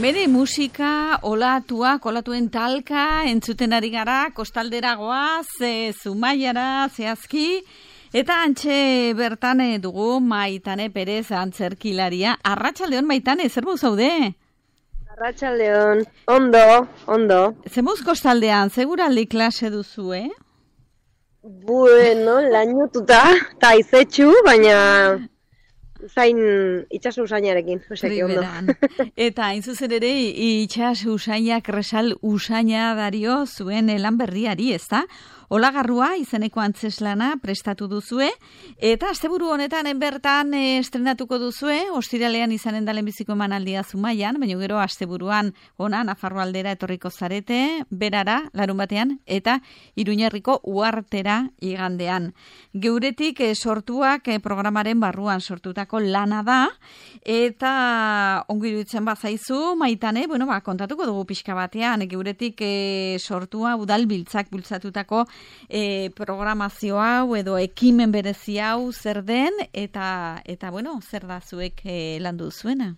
Bere musika, olatuen talka, entzuten ari gara, kostaldera goaz, Zumaiara, zehazki, eta antxe bertan dugu Maitane Perez antzerkilaria. Arratsaldeon Maitane, zer bau zaude? Arratsaldeon, ondo. Zemuz kostaldean, seguraldi klase duzu, Bueno, lainotuta, eta izetxu, baina itxaso usainarekin, ondo. Eta hain zuzen ere, itxaso usainak resal usaina dario zuen lan berriari, ezta? Olagarrua izeneko antzeslana prestatu duzue, eta asteburu honetan bertan estrenatuko duzue, ostiralean izanen da lehenbiziko emanaldia Zumaian, baina gero asteburuan ona Nafarro aldera etorriko zarete, berara, larun batean, eta Iruñerriko uhartera igandean. Geuretik sortuak programaren barruan sortutako lana da, eta ongi iruditzen bazaizu, Maitane, kontatuko dugu pixka batean, geuretik sortua udalbiltzak bultzatutako programazio hau edo ekimen berezi hau zer den eta zer da zuek landu zuena?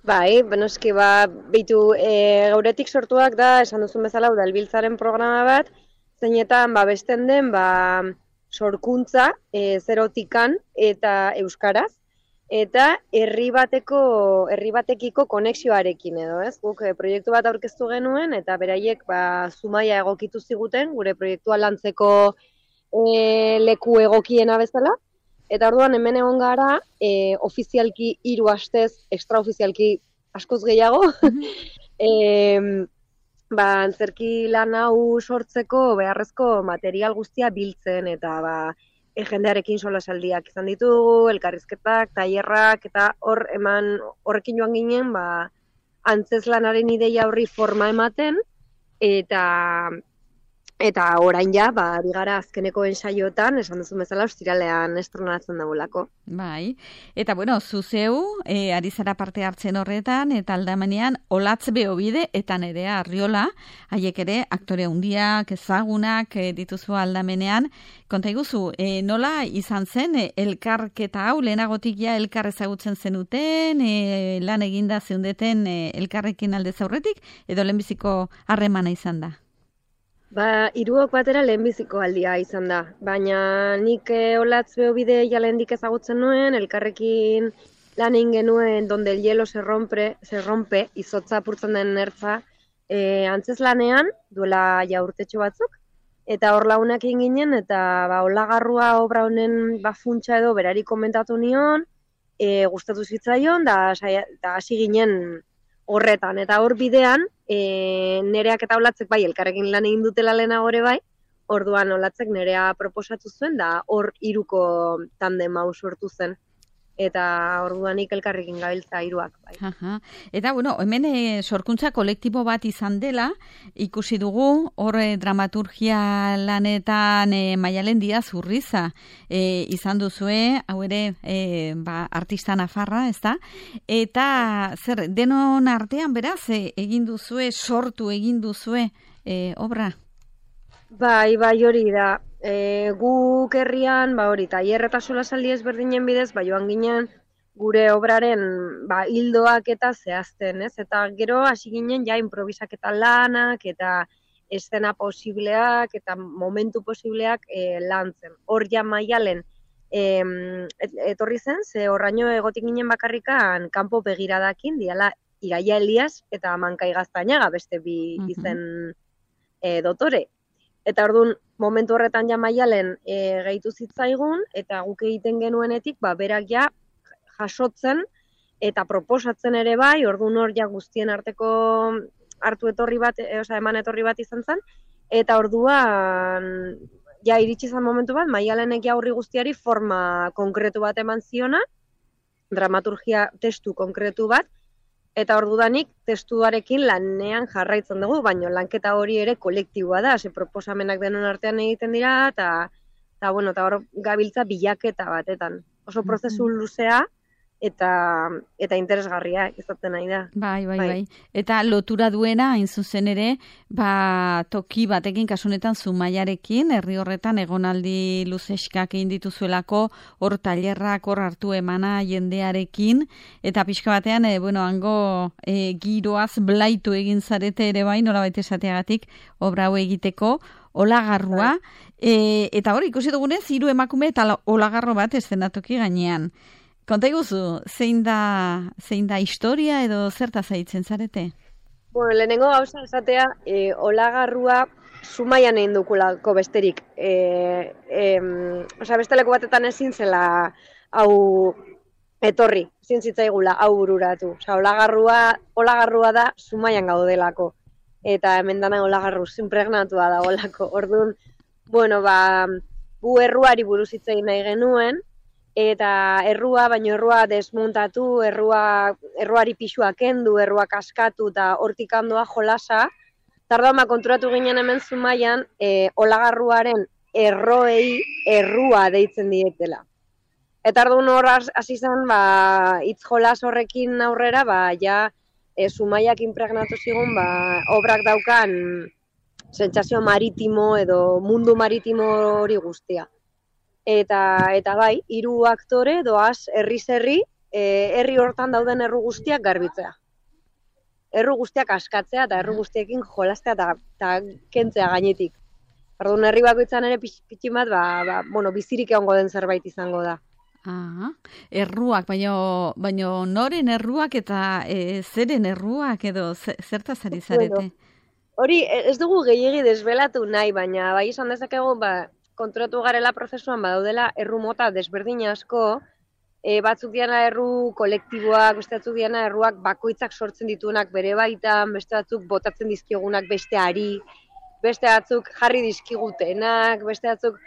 Bai, benoski beitu geuretik sortuak da, esan duzun bezala udalbiltzaren programa bat, zeinetan besten den sorkuntza zerotikan eta euskaraz, eta herri batekiko konexioarekin edo, ez? Guk proiektu bat aurkeztu genuen eta beraiek Zumaia egokitu ziguten gure proiektua lantzeko leku egokiena bezala. Eta orduan hemen egon gara ofizialki 3 astez, extraofizialki askoz gehiago. Antzerki lan hau sortzeko beharrezko material guztia biltzen eta jendearekin solasaldiak izan ditugu, elkarrizketak, tailerrak, eta horrekin joan ginen, antzeslanaren ideia horri forma ematen, eta orain bigara azkeneko ensaiotan, esan duzun bezala, ostiralean estrenatzen dagoelako. Bai, eta zuzeu, ari zara parte hartzen horretan, eta aldamenean, Olatz Beobide eta Nerea Arriola, haiek ere, aktore handiak, ezagunak dituzu aldamenean. Konta iguzu, nola izan zen elkarketa hau, lehenagotik elkar ezagutzen zenuten, lan eginda zeundeten elkarrekin aldez aurretik, edo lehenbiziko harremana izan da? 3 batera lehenbiziko aldia izan da, baina nik Olatz Beobide lehendik ezagutzen nuen, elkarrekin lan egin genuen Donde el hielo se rompe, izotza apurtzen den nertza, antzeslanean, duela urtetxo batzuk, eta hor lagunak egin ginen, eta Olagarrua obra honen funtsa edo berari komentatu nion, gustatu zitzaion, da hasi ginen horretan, eta hor bidean, Nereak eta Olatzek elkarrekin lan egin dutela lehenagore orduan Olatzek Nerea proposatu zuen, da hor 3ko tandem hau sortu zen. Eta orduanik elkarrekin gabiltza 3ak. Eta, hemen sorkuntza kolektibo bat izan dela, ikusi dugu, hor dramaturgia lanetan Maialen Diaz Urriza izan duzue, hau ere artista nafarra, ez da? Eta, denon artean, beraz, sortu egin duzue obra? Bai, hori da. Guk herrian, tailer eta solasaldi ezberdinen bidez, joan ginen gure obraren hildoak eta zehazten, ez? Eta gero hasi ginen improvisaketa lanak eta eszena posibleak eta momentu posibleak lantzen. Hor Maialen etorri zen, ze horraino egotik ginen bakarrikan kanpo begiradakin, diala Iraia Elias eta Mankai Gaztañaga, beste bi izen dotore. Eta orduan, momentu horretan Maialen gehitu zitzaigun, eta guk egiten genuenetik, berak jasotzen eta proposatzen ere orduan hor guztien arteko eman etorri bat izan zen, eta orduan, iritsi zen momentu bat, Maialenek horri guztiari forma konkretu bat eman ziona, dramaturgia testu konkretu bat, eta ordudanik testuarekin lanean jarraitzen dugu, baina lanketa hori ere kolektiboa da, proposamenak denon artean egiten dira, eta hor gabiltza bilaketa batetan. Oso prozesu luzea, eta interesgarria izaten nahi da. Bai. Eta lotura duena, hain zuzen ere, toki batekin, kasunetan Zumaiarekin, herri horretan egonaldi luzeskak egin dituzuelako, hor tailerrak, hor hartu emana jendearekin, eta pixka batean, hango giroaz blaitu egin zarete ere bai, nolabait esateagatik, obra hau egiteko, olagarrua, eta hor, ikusi dugunez, 3 emakume eta olagarro bat eszenatoki gainean. Konta iguzu, zein da historia edo zertaz aitzen zarete? Bueno, lehenengo gauza esatea, olagarrua Zumaian egin dukulako besterik. Besteleko batetan ezin zela hau etorri, ezin zitzaigula hau bururatu. Olagarrua da Zumaian gaudelako. Eta hemen dana olagarru inpregnatua da olako. Orduan, gu erruari buruz hitz egin nahi genuen, eta errua desmontatu, erruari pixua kendu, errua kaskatu eta hortik handoa jolasa. Tardama konturatu ginen hemen Zumaian, olagarruaren erroei errua deitzen dietela. Eta orduan hor hasi zen, hitz jolas horrekin aurrera, Zumaiak inpregnatu zigun, obrak daukan sentsazio maritimo edo mundu maritimo hori guztia. Eta 3 aktore doaz herri, herri hortan dauden erru guztiak garbitzea. Erru guztiak askatzea eta erru guztiekin jolastea eta kentzea gainetik. Orduan herri bakoitzan ere pitxin bat, bizirik egongo den zerbait izango da. Erruak, baina noren erruak eta zeren erruak edo zertaz ari zarete? Hori, ez dugu gehiegi desbelatu nahi, baina bai izan dezakegu, konturatu garela prozesuan badaudela erru mota desberdin asko, batzuk diana erru kolektiboak, beste batzuk diana erruak bakoitzak sortzen dituenak bere baitan, beste batzuk botatzen dizkigunak besteari, beste batzuk jarri dizkigutenak, beste batzuk,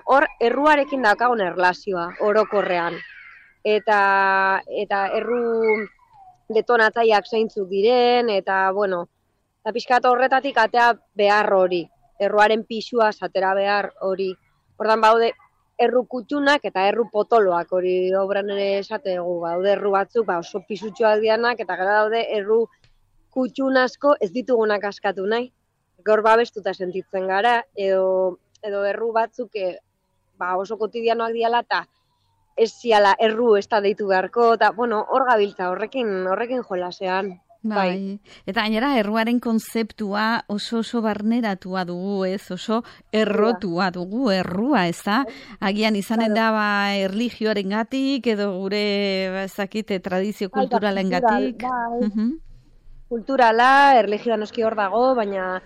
hor erruarekin daukagun erlazioa, orokorrean. Eta erru detonatzaileak zeintzuk diren, eta pixkat horretatik atea behar hori. Erruaren pixua atera behar hori. Hordan baude erru kutxunak eta erru potoloak hori obran ere esategu. Baude erru batzuk oso pisutxoak dianak eta gara daude erru kutxun asko ez ditugunak askatu nahi. Gaur babestuta sentitzen gara edo erru batzuk oso kotidianoak diala eta ez ziala erru ez da deitu beharko eta hor gabiltza horrekin jolasean. Bai. Eta gainera erruaren konzeptua oso barneratua dugu, oso errotua dugu errua, ez da? Agian izanen da erlijioarengatik edo gure tradizio kulturalengatik. Kulturala, erlijioa noski hor dago, baina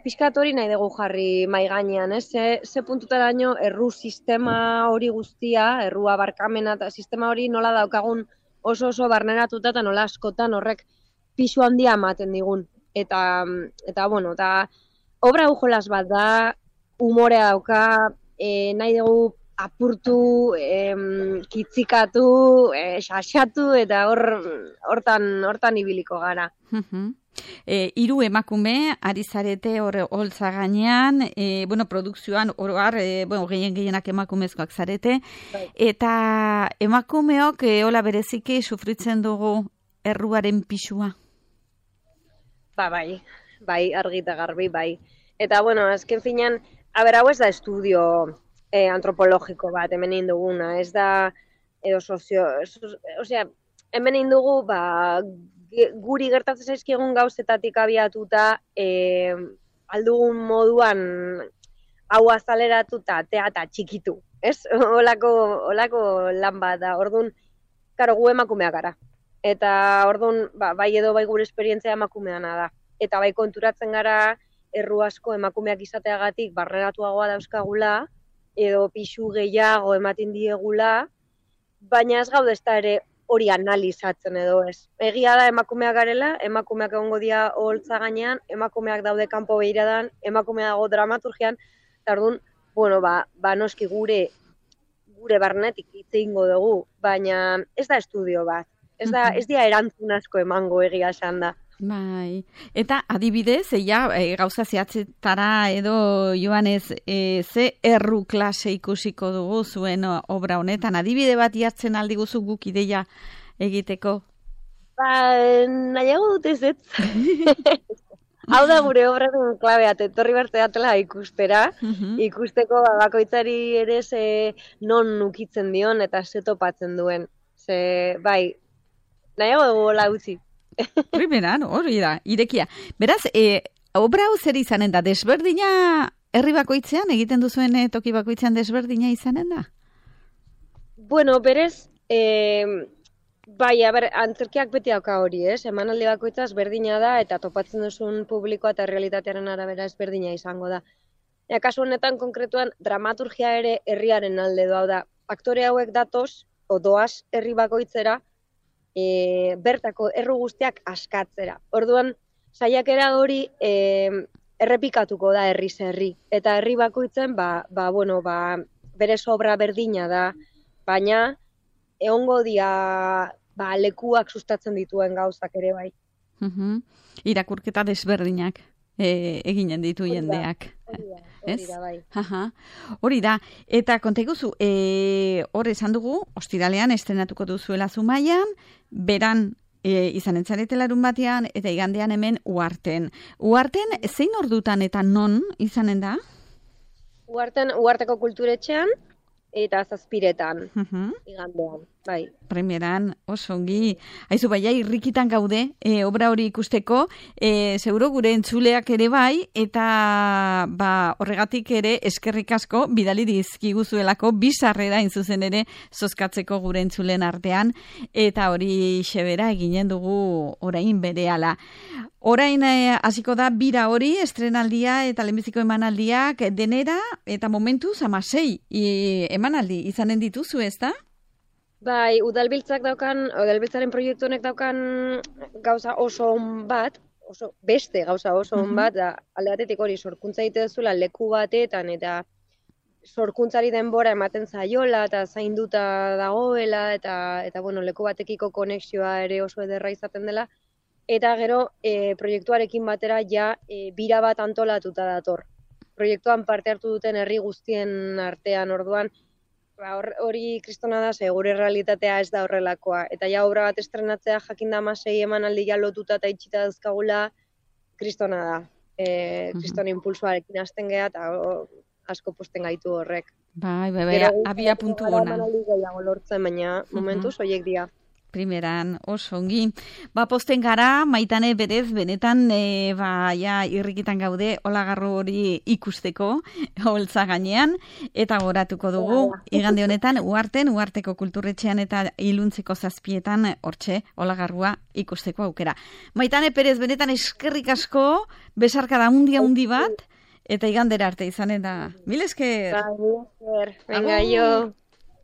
pixkat hori nahi dugu jarri mai gainean, ze puntutaraino erru sistema hori guztia, errua barkamena eta sistema hori nola daukagun oso barneratuta eta nola askotan horrek pisu handia ematen digun. Eta obra hau jolas bat da, umorea dauka, nahi dugu apurtu, kitzikatu, xaxatu eta hortan ibiliko gara. 3 emakume ari zarete holtza gainean, produkzioan oroar, gehienak emakumezkoak zarete, eta emakumeok hola bereziki sufritzen dugu erruaren pisua? Bai, argi eta garbi, bai. Eta, azken finean, hau ez da estudio antropologiko bat, hemen egin duguna, ez da, edo hemen egin dugu, guri gertatzen zaizkigun gauzetatik abiatuta aldugun moduan hau azaleratu eta txikitu, ez? Olako lan bat da, orduan, gu emakumeak gara. Eta orduan, bai gure esperientzia emakumeana da. Eta bai konturatzen gara, erru asko emakumeak izateagatik barneratuagoa dauzkagula, edo pixu gehiago ematen diegula, baina ez gaude ez da ere hori analizatzen edo ez. Egia da emakumeak garela, emakumeak egongo dira holtza gainean, emakumeak daude kanpo behiradan, emakumeak dago dramaturgian, eta orduan, noski gure barnetik hitz egingo dugu, baina ez da estudio bat. Ez dira erantzun asko emango egia esan da. Bai, eta adibidez, gauza zehatzetara edo joanez, ze erru klase ikusiko dugu zuen obra honetan, adibide bat jartzen aldi guzu guk ideia egiteko? Nahiago dut ez. Hau da gure obraren klabea, etorri berte datela ikustera, ikusteko bakoitzari ere non ukitzen dion eta ze topatzen duen. Bai, nahiago dugu hola utzi. Primeran, hori da, irekia. Beraz, obra hau zer izanen da? Desberdina herri bakoitzean, egiten duzuen toki bakoitzean desberdina izanen da? Bueno, berez, bai, antzerkiak beti dauka hori, emanaldi bakoitzaz berdina da, eta topatzen duzun publikoa eta realitatearen arabera ezberdina izango da. Kasu honetan, konkretuan, dramaturgia ere herriaren alde doa da. Aktore hauek datoz, doaz herri bakoitzera, bertako erru guztiak askatzera. Orduan, saiakera hori errepikatuko da herriz herri. Eta herri bakoitzen, bere obra berdina da, baina egongo dia lekuak sustatzen dituen gauzak ere bai. Irakurketa desberdinak eginen ditu jendeak. Hori da, bai. Hori da, eta konta iguzu, hor esan dugu, ostiralean estrenatuko duzuela Zumaian, beran izanen zarete larun batean, eta igandean hemen Uharten. Uharten, zein ordutan eta non izanen da? Uharteko kulturetxean, eta 7:00 igandean, bai. Premieran, oso ongi. Aizu, baina irrikitan gaude, obra hori ikusteko, seguro gure entzuleak ere bai, eta horregatik ere eskerrik asko bidali dizkiguzuelako bizarrera inzuzen ere zozkatzeko gure entzulen artean, eta hori xebera eginen dugu orain berehala. Orain hasiko da bira hori, estrenaldia eta lehenbiziko emanaldiak denera, eta momentuz 16 emanaldi izanen dituzu, ez da? Bai, udalbiltzaren proiektu honek daukan gauza oso on bat, beste gauza oso on bat, da alde batetik hori sorkuntza egite duzula leku batetan, eta sorkuntzari denbora ematen zaiola, eta zainduta dagoela, eta leku batekiko konexioa ere oso ederra izaten dela, eta gero proiektuarekin batera bira bat antolatuta dator. Proiektuan parte hartu duten herri guztien artean, orduan, hori kristona da, gure realitatea ez da horrelakoa. Eta obra bat estrenatzea jakinda 16 emanaldi lotuta eta itxita dazkagula, kristona da. Kristona impulsoarekin hasten geha, eta asko posten gaitu horrek. Bai, abia puntu gona. Emanaldi gehiago lortzen, baina momentuz horiek dira. Primeran, oso ongi. Posten gara, Maitane berez, benetan, irrikitan gaude, Olagarru hori ikusteko, holtza gainean, eta goratuko dugu, igande honetan, Uharteko kulturretxean eta Iluntzeko 7:00, hortxe, Olagarrua ikusteko aukera. Maitane Perez, benetan eskerrik asko, besarka da handi bat, eta igandera arte izanen da. Mil esker! Mil esker, venga, jo!